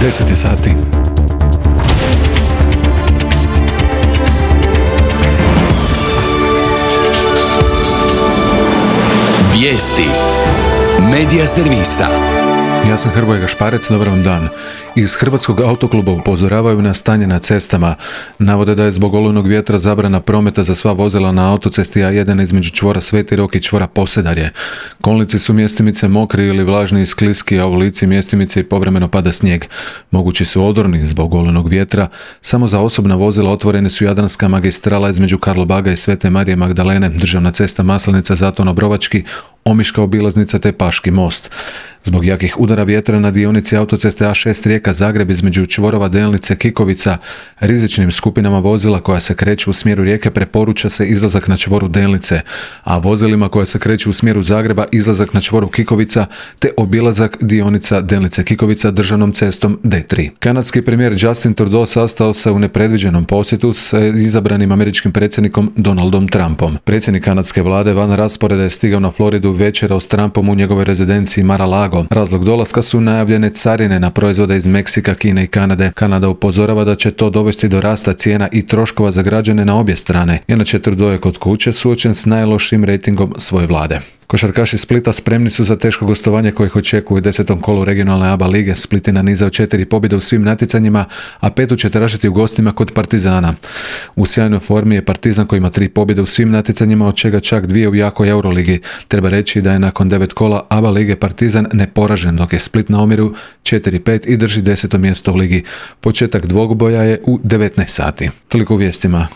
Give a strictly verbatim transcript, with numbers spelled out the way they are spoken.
deset je sati. Vijesti Medija servisa. Ja sam Hrvoje Gašparec, dobar vam dan. Iz Hrvatskog autokluba upozoravaju na stanje na cestama. Navode da je zbog olujnog vjetra zabrana prometa za sva vozila na autocesti A jedan između čvora Sveti Rok i čvora Posedarje. Kolnici su mjestimice mokri ili vlažni i skliski, a u lici mjestimice i povremeno pada snijeg. Mogući su odorni zbog olujnog vjetra. Samo za osobna vozila otvorene su Jadranska magistrala između Karlobaga i Svete Marije Magdalene, državna cesta Maslenica Zaton Obrovački, Omiška obilaznica te Paški most. Zbog jakih udara vjetra na dionici autoceste A šest Rijeka Zagreb između čvorova Delnice Kikovica rizičnim skupinama vozila koja se kreću u smjeru Rijeke preporuča se izlazak na čvoru Delnice, a vozilima koja se kreću u smjeru Zagreba izlazak na čvoru Kikovica te obilazak dionica Delnice Kikovica državnom cestom D tri. Kanadski premijer Justin Trudeau sastao se u nepredviđenom posjetu s izabranim američkim predsjednikom Donaldom Trumpom. Predsjednik kanadske vlade van rasporeda je stigao na Floridu večerao s Trumpom u njegovoj rezidenciji Mar-a-Lago. Razlog dolaska su najavljene carine na proizvode iz Meksika, Kine i Kanade. Kanada upozorava da će to dovesti do rasta cijena i troškova za građane na obje strane. Inače, Trudeau je kod kuće suočen s najlošijim rejtingom svoje vlade. Košarkaši Splita spremni su za teško gostovanje koje ih očekuje u desetom kolu regionalne A B A lige. Split je nanizao četiri pobjede u svim natjecanjima, a petu će tražiti u gostima kod Partizana. U sjajnoj formi je Partizan koji ima tri pobjede u svim natjecanjima, od čega čak dvije u jakoj Euroligi. Treba reći da je nakon devet kola A B A lige Partizan neporažen, dok je Split na omjeru četiri pet i drži deseto mjesto u ligi. Početak dvoboja je u devetnaest sati. Toliko u vijestima.